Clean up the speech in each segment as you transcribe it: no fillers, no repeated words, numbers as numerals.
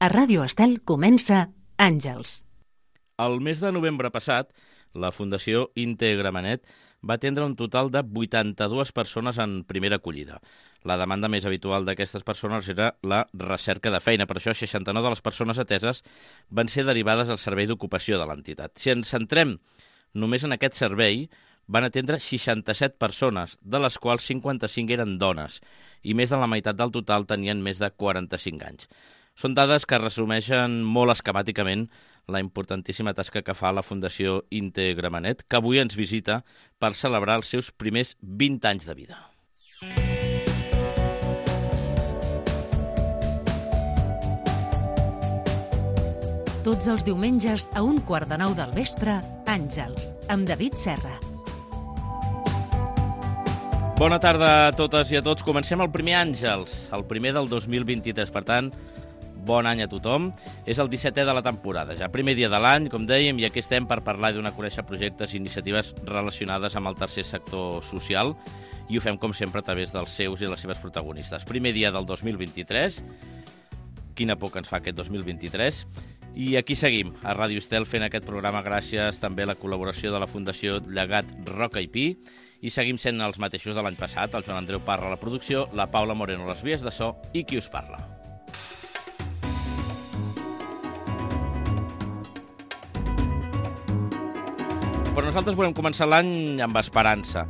A Ràdio Estel comença Àngels. El mes de novembre passat, la Fundació Integramanet va atendre un total de 82 persones en primera acollida. La demanda més habitual d'aquestes persones era la recerca de feina. Per això, 69 de les persones ateses van ser derivades al servei d'ocupació de l'entitat. Si ens centrem només en aquest servei, van atendre 67 persones, de les quals 55 eren dones, i més de la meitat del total tenien més de 45 anys. Són dades que resumeixen molt esquemàticament la importantíssima tasca que fa la Fundació Integramanet, que avui ens visita per celebrar els seus primers 20 anys de vida. Tots els diumenges a 8:45 del vespre, Àngels, amb David Serra. Bona tarda a totes i a tots. Comencem el primer Àngels, el primer del 2023. Per tant, bon any a tothom. És el 17è de la temporada, ja primer dia de l'any, com dèiem, i aquí estem per parlar i donar a conèixer projectes i iniciatives relacionades amb el tercer sector social, i ho fem, com sempre, a través dels seus i les seves protagonistes. Primer dia del 2023, quina por que ens fa aquest 2023, i aquí seguim, a Ràdio Estel, fent aquest programa gràcies també a la col·laboració de la Fundació Llegat Roca i Pi, i seguim sent els mateixos de l'any passat, el Joan Andreu Parra a la producció, la Paula Moreno a les vies de so i qui us parla. Però nosaltres volem començar l'any amb esperança.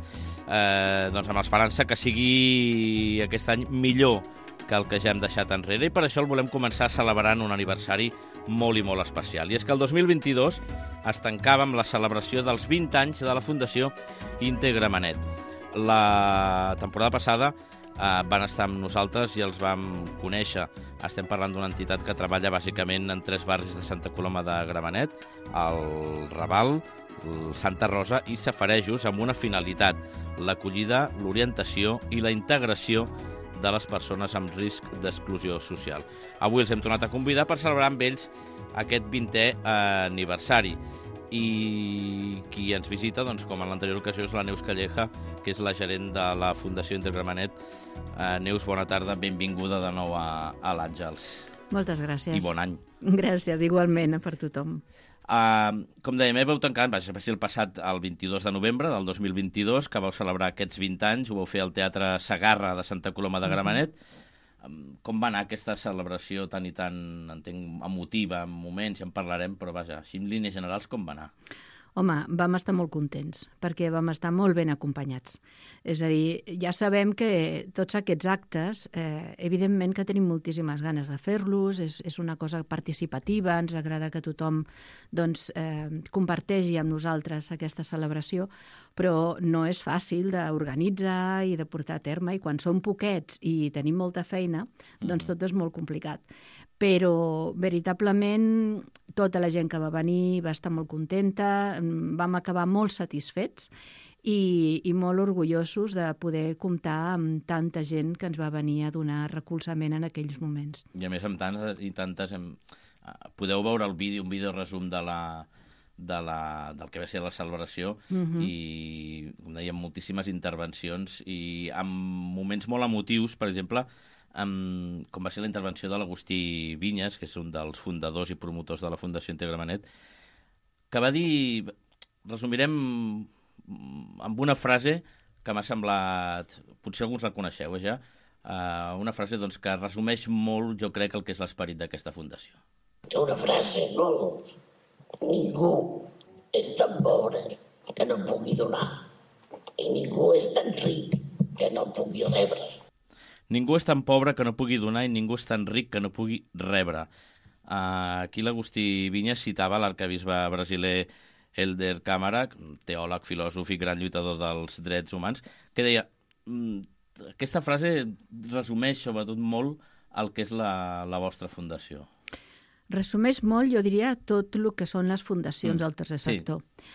Doncs amb l'esperança que sigui aquest any millor que el que ja hem deixat enrere, i per això el volem començar celebrant un aniversari molt i molt especial. I és que el 2022 es tancava amb la celebració dels 20 anys de la Fundació Integramanet. La temporada passada van estar amb nosaltres i els vam conèixer. Estem parlant d'una entitat que treballa bàsicament en 3 barris de Santa Coloma de Gramenet, el Raval, Santa Rosa i Safarejos, amb una finalitat: l'acollida, l'orientació i la integració de les persones amb risc d'exclusió social. Avui els hem tornat a convidar per celebrar amb ells aquest 20è aniversari. I qui ens visita, doncs, com en l'anterior ocasió, és la Neus Calleja, que és la gerent de la Fundació Integramanet. Neus, bona tarda, benvinguda de nou a l'Àngels. Moltes gràcies. I bon any. Gràcies, igualment, per tothom. Com dèiem, vau tancar, va ser el passat el 22 de novembre del 2022, que vau celebrar aquests 20 anys, ho vau fer al Teatre Segarra de Santa Coloma de Gramenet. Com va anar aquesta celebració tan i tan, entenc, emotiva, en moments, ja en parlarem, però vaja, així en línies generals, com va anar? Home, vam estar molt contents, perquè vam estar molt ben acompanyats. És a dir, ja sabem que tots aquests actes, evidentment que tenim moltíssimes ganes de fer-los, és una cosa participativa, ens agrada que tothom doncs, comparteixi amb nosaltres aquesta celebració, però no és fàcil d'organitzar i de portar a terme, i quan som poquets i tenim molta feina, doncs tot és molt complicat. Però veritablement tota la gent que va venir va estar molt contenta, vam acabar molt satisfets i molt orgullosos de poder comptar amb tanta gent que ens va venir a donar recolzament en aquells moments. I a més amb tantes i tantes... Podeu veure el vídeo, un vídeo resum del que va ser la celebració, i com dèiem, moltíssimes intervencions i amb moments molt emotius, per exemple, com va ser la intervenció de l'Agustí Vinyes, que és un dels fundadors i promotors de la Fundació Integramanet, que va dir, resumirem amb una frase que m'ha semblat, potser alguns la coneixeu ja, una frase doncs, que resumeix molt, jo crec, el que és l'esperit d'aquesta fundació. Una frase molt... Ningú és tan pobre que no pugui donar, i ningú és tan ric que no pugui rebre. Ningú és tan pobre que no pugui donar i ningú és tan ric que no pugui rebre. Aquí l'Agustí Vinyes citava l'arquebisbe brasiler Helder Câmara, teòleg, filòsof i gran lluitador dels drets humans, que deia, aquesta frase resumeix sobretot molt el que és la vostra fundació. Resumeix molt, jo diria, tot el que són les fundacions del tercer sector. Sí.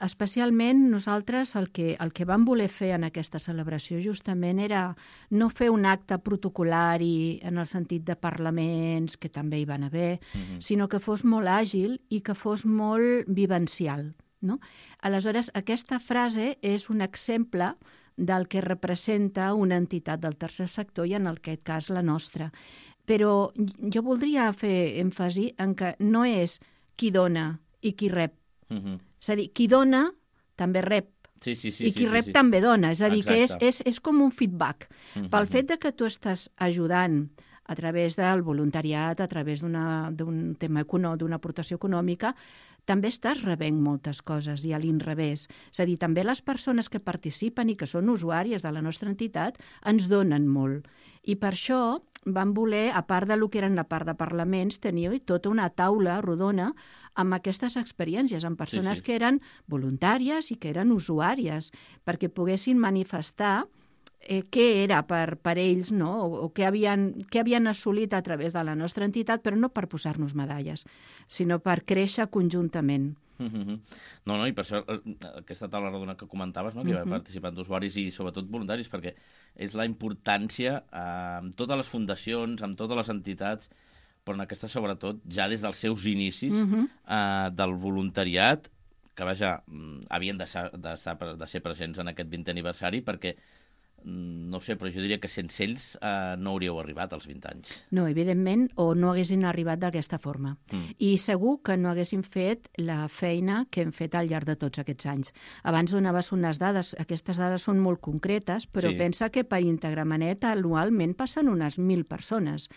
Especialment nosaltres el que vam voler fer en aquesta celebració justament era no fer un acte protocolari en el sentit de parlaments, que també hi van haver, sinó que fos molt àgil i que fos molt vivencial. No? Aleshores, aquesta frase és un exemple del que representa una entitat del tercer sector i en aquest cas la nostra. Però jo voldria fer èmfasi en que no és qui dona i qui rep. És a dir, qui dona també rep. Sí, I qui rep també dona. És a dir, que Exacte. és com un feedback. Pel fet de que tu estàs ajudant a través del voluntariat, a través d'un tema d'una aportació econòmica, també estàs rebent moltes coses i a l'inrevés. És a dir, també les persones que participen i que són usuàries de la nostra entitat ens donen molt. I per això vam voler, a part del que eren la part de parlaments, tenir tota una taula rodona amb aquestes experiències, amb persones que eren voluntàries i que eren usuàries, perquè poguessin manifestar què era per ells, no? O què havien assolit a través de la nostra entitat, però no per posar-nos medalles, sinó per créixer conjuntament. No, i per això aquesta taula rodona que comentaves, no? Que hi va participant d'usuaris i sobretot voluntaris, perquè és la importància amb totes les fundacions, amb totes les entitats, però en aquesta sobretot ja des dels seus inicis del voluntariat, que vaja, havien de ser presents en aquest 20è aniversari, perquè no sé, però jo diria que sense ells no hauríeu arribat als 20 anys. No, evidentment, o no haguessin arribat d'aquesta forma. I segur que no haguessin fet la feina que hem fet al llarg de tots aquests anys. Abans donaves unes dades, aquestes dades són molt concretes, però pensa que per Integramenet anualment passen unes 1.000 persones.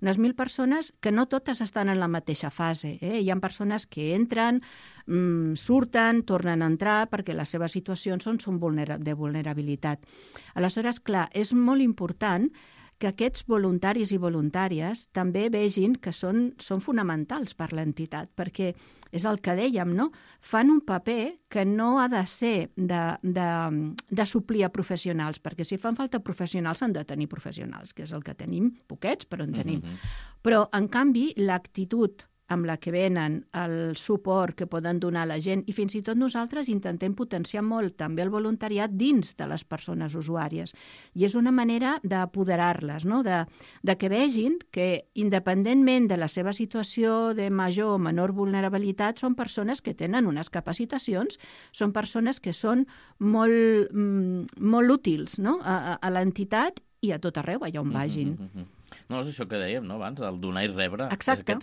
Unes 1.000 persones que no totes estan en la mateixa fase. Hi ha persones que entren, surten, tornen a entrar, perquè les seves situacions són de vulnerabilitat. Aleshores, clar, és molt important que aquests voluntaris i voluntàries també vegin que són fonamentals per l'entitat, perquè és el que dèiem, no? Fan un paper que no ha de ser de suplir a professionals, perquè si fan falta professionals s'han de tenir professionals, que és el que tenim, poquets, però en tenim. Però, en canvi, l'actitud amb la que venen, el suport que poden donar a la gent, i fins i tot nosaltres intentem potenciar molt també el voluntariat dins de les persones usuàries. I és una manera d'apoderar-les, no? De que vegin que, independentment de la seva situació de major o menor vulnerabilitat, són persones que tenen unes capacitacions, són persones que són molt útils, no? A l'entitat i a tot arreu, allà on vagin. No, és això que dèiem, no, abans, el donar i rebre. Exacte.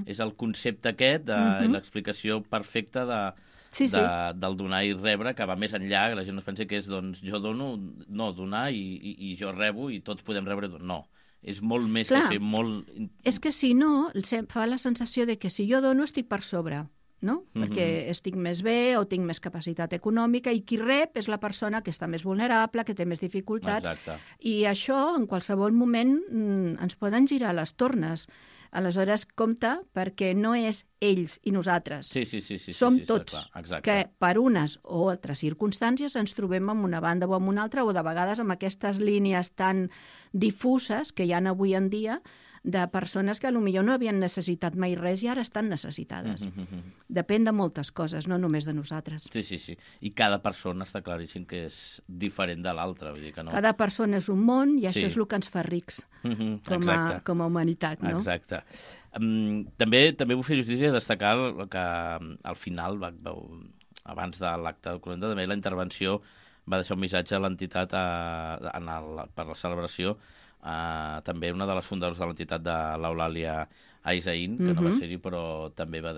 És el concepte aquest, l'explicació perfecta del donar i rebre, que va més enllà, que la gent no es pensi que és, doncs, jo dono, no, donar i jo rebo i tots podem rebre. No, és molt més que ser molt... És que si no, fa la sensació de que si jo dono estic per sobre, no? Perquè estic més bé o tinc més capacitat econòmica, i qui rep és la persona que està més vulnerable, que té més dificultats. Exacte. I això, en qualsevol moment, ens poden girar les tornes. Aleshores, compte, perquè no és ells i nosaltres. Sí, som tots, exacte. que per unes o altres circumstàncies ens trobem en una banda o en una altra, o de vegades amb aquestes línies tan difuses que hi ha avui en dia, de persones que potser no havien necessitat mai res i ara estan necessitades. Depèn de moltes coses, no només de nosaltres. Sí. I cada persona està claríssim que és diferent de l'altra. No... Cada persona és un món i això és el que ens fa rics com a humanitat. No? Exacte. També vull fer justícia i destacar que al final, abans de l'acte de 40, també la intervenció va deixar un missatge a l'entitat per la celebració. També una de les fundadores de l'entitat de l'Eulàlia Aizaín, que no va ser-hi, però també va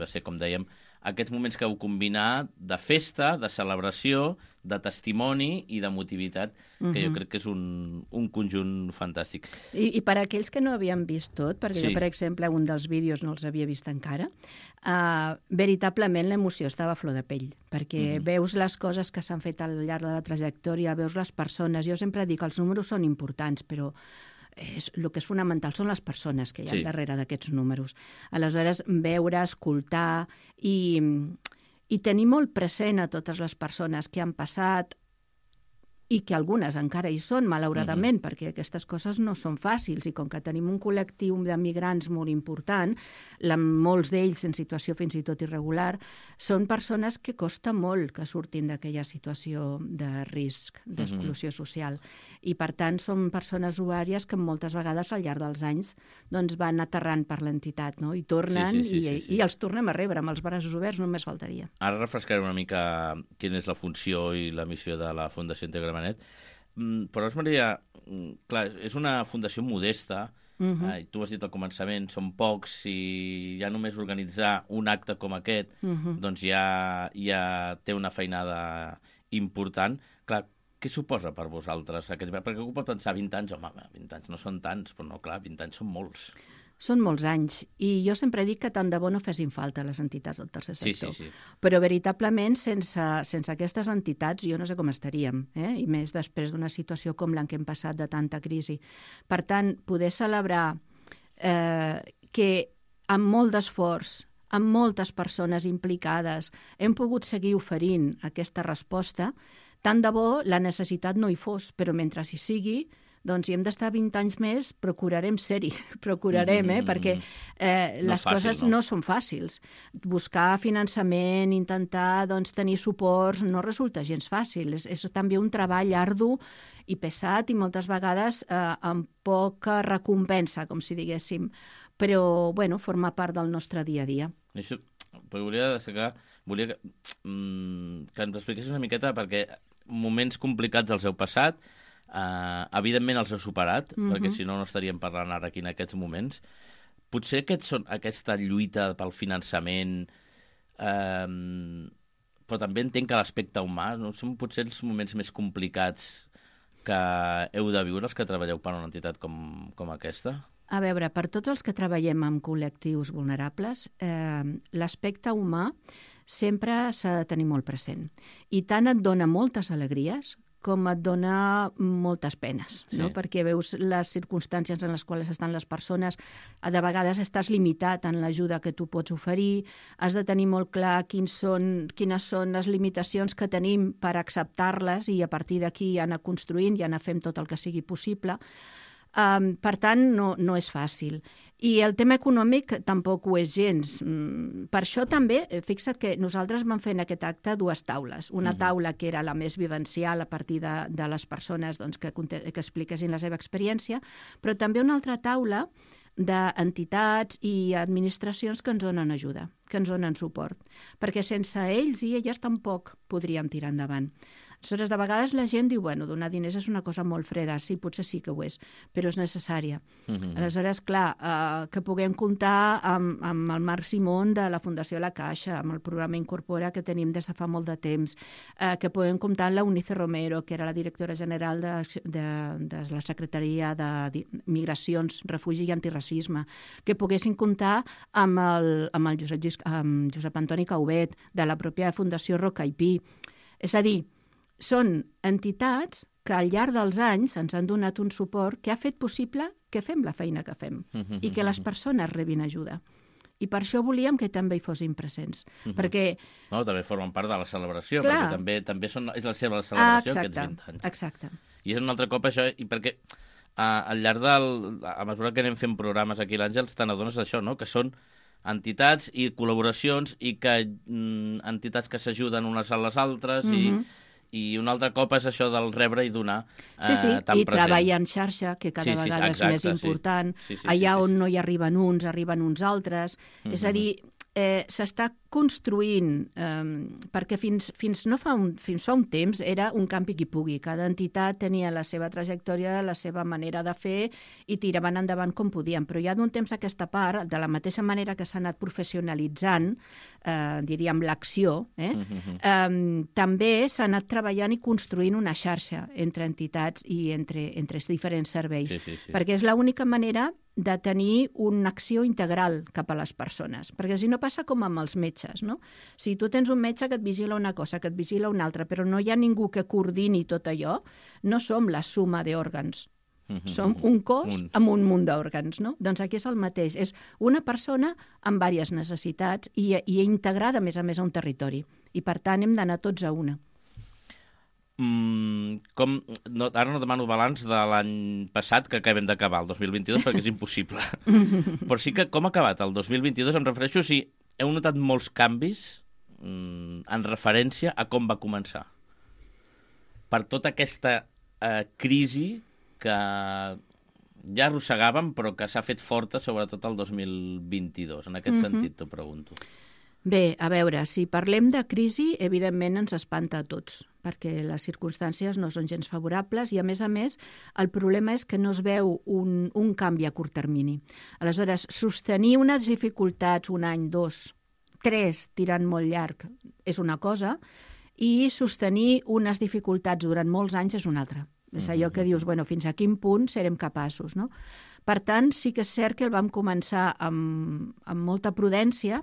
ser, com dèiem, aquests moments que heu combinat de festa, de celebració, de testimoni i d'emotivitat, que jo crec que és un conjunt fantàstic. I per aquells que no havien vist tot, perquè jo, per exemple, un dels vídeos no els havia vist encara, veritablement l'emoció estava a flor de pell, perquè veus les coses que s'han fet al llarg de la trajectòria, veus les persones. Jo sempre dic que els números són importants, però el que és fonamental són les persones que hi ha darrere d'aquests números. Aleshores, veure, escoltar i tenir molt present a totes les persones que han passat i que algunes encara hi són, malauradament, perquè aquestes coses no són fàcils, i com que tenim un col·lectiu de migrants molt important, molts d'ells en situació fins i tot irregular, són persones que costa molt que surtin d'aquella situació de risc, d'exclusió social. I, per tant, són persones usuàries que moltes vegades al llarg dels anys van aterrant per l'entitat, no? I tornen i els tornem a rebre amb els braços oberts, només faltaria. Ara refrescaré una mica quina és la funció i la missió de la Fundació Integramenet. Però és una fundació modesta i tu has dit al començament, són pocs, i ja només organitzar un acte com aquest, doncs ja té una feinada important. Clar, què suposa per vosaltres? Perquè algú pot pensar 20 anys, home, 20 anys no són tants, però no, clar, 20 anys són molts. Són molts anys, i jo sempre dic que tant de bo no fessin falta les entitats del tercer sector. Sí. Però veritablement, sense aquestes entitats, jo no sé com estaríem, i més després d'una situació com la que hem passat de tanta crisi. Per tant, poder celebrar que amb molt d'esforç, amb moltes persones implicades, hem pogut seguir oferint aquesta resposta, tant de bo la necessitat no hi fos, però mentre hi sigui, doncs si hem d'estar 20 anys més, procurarem ser-hi, perquè les coses no són fàcils. Buscar finançament, intentar tenir suports, no resulta gens fàcil. És també un treball ardu i pesat i moltes vegades amb poca recompensa, com si diguéssim. Però, forma part del nostre dia a dia. Això, volia que ens expliquessis una miqueta, perquè moments complicats els heu passat, evidentment els heu superat, perquè si no estaríem parlant ara aquí en aquests moments. Potser aquesta lluita pel finançament, però també entenc que l'aspecte humà són potser els moments més complicats que heu de viure els que treballeu per una entitat com aquesta? A veure, per tots els que treballem amb col·lectius vulnerables, l'aspecte humà sempre s'ha de tenir molt present. I tant et dona moltes alegries com et dona moltes penes, no? Perquè veus les circumstàncies en les quals estan les persones, de vegades estàs limitat en l'ajuda que tu pots oferir, has de tenir molt clar quines són les limitacions que tenim per acceptar-les i a partir d'aquí anar construint i anar fent tot el que sigui possible. Per tant, no és fàcil. I el tema econòmic tampoc ho és gens. Per això també, fixa't que nosaltres vam fer en aquest acte dues taules. Una taula que era la més vivencial a partir de les persones que expliquessin la seva experiència, però també una altra taula d'entitats i administracions que ens donen ajuda, que ens donen suport, perquè sense ells i elles tampoc podríem tirar endavant. Aleshores, de vegades la gent diu, donar diners és una cosa molt freda, sí, potser sí que ho és, però és necessària. Aleshores, clar, que puguem comptar amb el Marc Simón de la Fundació La Caixa, amb el programa Incorpora que tenim des de fa molt de temps, que puguem comptar amb la Eunice Romero, que era la directora general de la Secretaria de Migracions, Refugi i Antiracisme, que poguessin comptar amb el Josep Antoni Caubet, de la pròpia Fundació Roca i Pi. És a dir, són entitats que al llarg dels anys ens han donat un suport que ha fet possible que fem la feina que fem i que les persones rebin ajuda. I per això volíem que també hi fossin presents. Perquè... també formen part de la celebració, perquè també és la seva celebració aquests 20 anys. Exacte. I és un altre cop això, i perquè al llarg a mesura que anem fent programes aquí a l'Àngels, te n'adones d'això, no? Que són entitats i col·laboracions i que entitats que s'ajuden unes a les altres i un altre cop és això del rebre i donar tan present. I treballar en xarxa, que cada vegada és més important. Allà on no hi arriben uns altres. És a dir, s'està construint, perquè fins fa un temps era un campi qui pugui. Cada entitat tenia la seva trajectòria, la seva manera de fer i tiraven endavant com podien. Però ja d'un temps a aquesta part, de la mateixa manera que s'ha anat professionalitzant, diríem, l'acció, també s'ha anat treballant i construint una xarxa entre entitats i entre diferents serveis. Perquè és l'única manera de tenir una acció integral cap a les persones. Perquè si no passa com amb els metges, no? Si tu tens un metge que et vigila una cosa, que et vigila una altra, però no hi ha ningú que coordini tot allò, no som la suma d'òrgans. Som un cos amb un munt d'òrgans, no? Doncs aquí és el mateix. És una persona amb diverses necessitats i integrada, a més, a un territori. I, per tant, hem d'anar tots a una. Ara no demano balanç de l'any passat, que acabem d'acabar, el 2022, perquè és impossible. Però sí que com ha acabat el 2022, em refereixo si heu notat molts canvis en referència a com va començar. Per tota aquesta crisi que ja arrossegàvem, però que s'ha fet forta, sobretot el 2022. En aquest sentit, t'ho pregunto. Bé, a veure, si parlem de crisi, evidentment ens espanta a tots, perquè les circumstàncies no són gens favorables i, a més, el problema és que no es veu un canvi a curt termini. Aleshores, sostenir unes dificultats un any, 2, 3, tirant molt llarg, és una cosa, i sostenir unes dificultats durant molts anys és una altra. És allò que dius, bueno, fins a quin punt serem capaços, no? Per tant, sí que és cert que el vam començar amb molta prudència.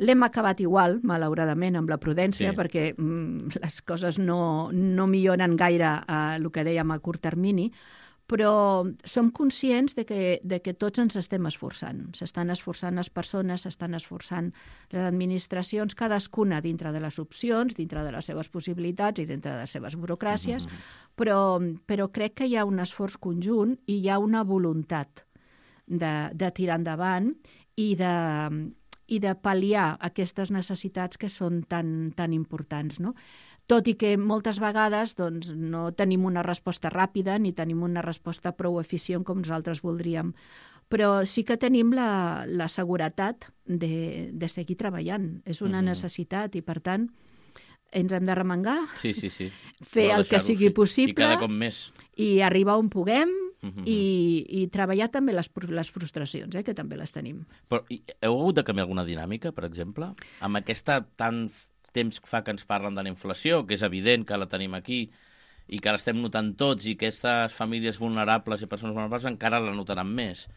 L'hem acabat igual, malauradament, amb la prudència, perquè les coses no milloren gaire el que dèiem a curt termini, però som conscients de que tots ens estem esforçant. S'estan esforçant les persones, s'estan esforçant les administracions, cadascuna dintre de les opcions, dintre de les seves possibilitats i dintre de les seves burocràcies, però crec que hi ha un esforç conjunt i hi ha una voluntat de tirar endavant i de pal·liar aquestes necessitats que són tan importants, no? Tot i que moltes vegades doncs, no tenim una resposta ràpida ni tenim una resposta prou eficient com nosaltres voldríem. Però sí que tenim la seguretat de seguir treballant. És una necessitat i, per tant, ens hem d'arremangar, fer el que sigui possible i cada cop més. I arribar on puguem i treballar també les frustracions, que també les tenim. Però heu hagut de canviar alguna dinàmica, per exemple? Amb aquesta temps fa que ens parlen de la inflació, que és evident que la tenim aquí i que l'estem notant tots i que aquestes famílies vulnerables i persones vulnerables encara la notaran més.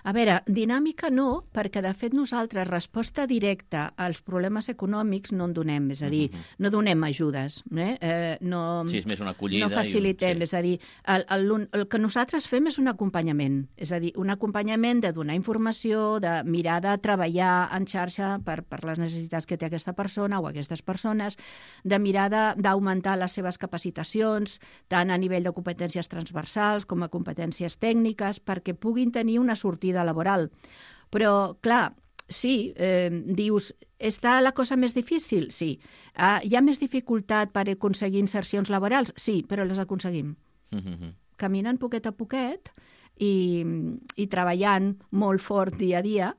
A veure, dinàmica no, perquè de fet nosaltres resposta directa als problemes econòmics no en donem, és a dir, no donem ajudes. Sí, és més una acollida. No facilitem, és a dir, el que nosaltres fem és un acompanyament, és a dir, un acompanyament de donar informació, de mirar de treballar en xarxa per les necessitats que té aquesta persona o aquestes persones, de mirar d'augmentar les seves capacitacions, tant a nivell de competències transversals com a competències tècniques, perquè puguin tenir una sortida laboral. Però, clar, sí, dius, està la cosa més difícil? Sí. Hi ha més dificultat per aconseguir insercions laborals? Sí, però les aconseguim. Caminant poquet a poquet i treballant molt fort dia a dia,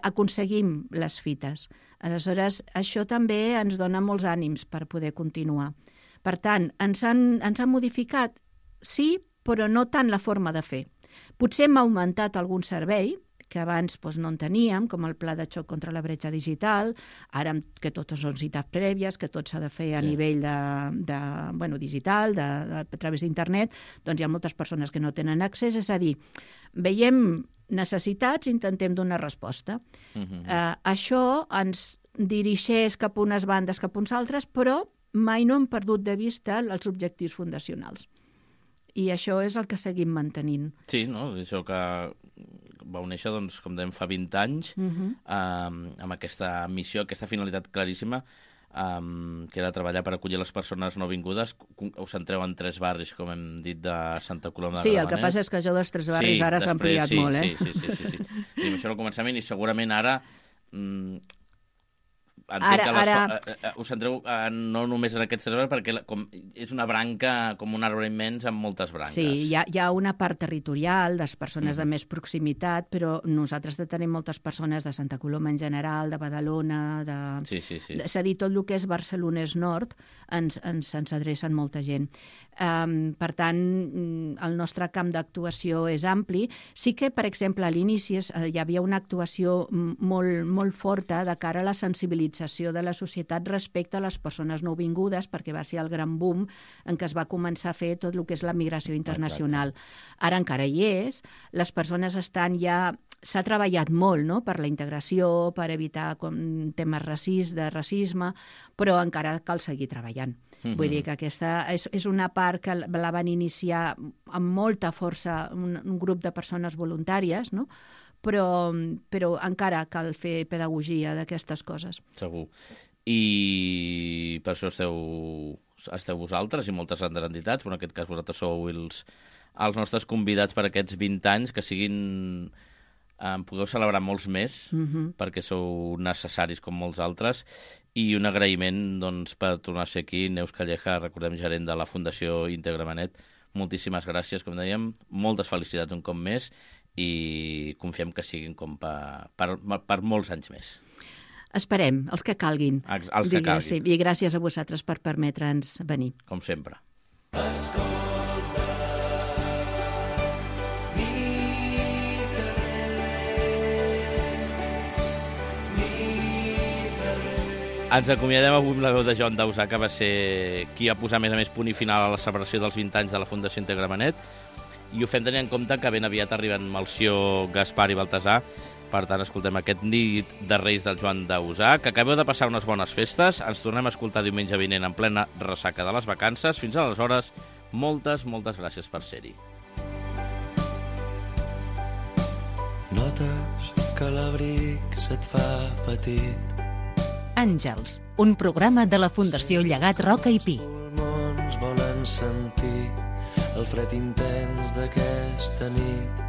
aconseguim les fites. Aleshores, això també ens dona molts ànims per poder continuar. Per tant, ens han modificat, sí, però no tant la forma de fer. Potser hem augmentat algun servei que abans no en teníem, com el pla de xoc contra la bretxa digital, ara que totes són cites prèvies, que tot s'ha de fer a nivell digital, a través d'internet, doncs hi ha moltes persones que no tenen accés, és a dir, veiem necessitats i intentem donar resposta. Això ens dirigeix cap a unes bandes, cap a uns altres, però mai no hem perdut de vista els objectius fundacionals. I això és el que seguim mantenint. Sí, no? Això que vau néixer, doncs, com dèiem, fa 20 anys, amb aquesta missió, aquesta finalitat claríssima, que era treballar per acollir les persones nouvingudes. Us centreu en 3 barris, com hem dit, de Santa Coloma de Gramenet. Sí, el que passa és que això dels 3 barris ara s'ha ampliat molt, Sí. I això al començament, i segurament ara... us centreu no només en aquests 3 barris, perquè és una branca, com un arbre immens amb moltes branques. Sí, hi ha una part territorial de persones de més proximitat, però nosaltres tenim moltes persones de Santa Coloma en general, de Badalona, Sí. És a dir, tot el que és Barcelonès Nord ens adrecen molta gent. Per tant, el nostre camp d'actuació és ampli. Sí que, per exemple, a l'inici hi havia una actuació molt forta de cara a la sensibilització de la societat respecte a les persones nouvingudes, perquè va ser el gran boom en què es va començar a fer tot el que és la migració internacional. Ara encara hi és, les persones estan ja... S'ha treballat molt, no?, per la integració, per evitar temes de racisme, però encara cal seguir treballant. Vull dir que aquesta és una part que la van iniciar amb molta força un grup de persones voluntàries, no?, però encara cal fer pedagogia d'aquestes coses. Segur. I per això esteu vosaltres i moltes altres entitats, però en aquest cas vosaltres sou els nostres convidats per aquests 20 anys, que siguin... podeu celebrar molts més, perquè sou necessaris com molts altres, i un agraïment per tornar a ser aquí. Neus Calleja, recordem, gerent de la Fundació Gramenet. Moltíssimes gràcies, com dèiem, moltes felicitats un cop més i confiem que siguin com per molts anys més. Esperem, els que calguin. Els que calguin. Sí, i gràcies a vosaltres per permetre'ns venir. Com sempre. Ens acomiadem avui amb la veu de Joan Dausà, que va ser qui va posar, a més, punt i final a la celebració dels 20 anys de la Fundació Integra Benet, i ho fem tenint en compte que ben aviat arriben Melcior, Gaspar i Baltasar. Per tant, escoltem aquest nit de Reis del Joan Dausà, que acabeu de passar unes bones festes. Ens tornem a escoltar diumenge vinent en plena ressaca de les vacances. Fins aleshores, moltes gràcies per ser-hi. Notes que l'abric se't fa petit. Àngels, un programa de la Fundació Llegat Roca i Pi. Els pulmons volen sentir el fred intens d'aquesta nit.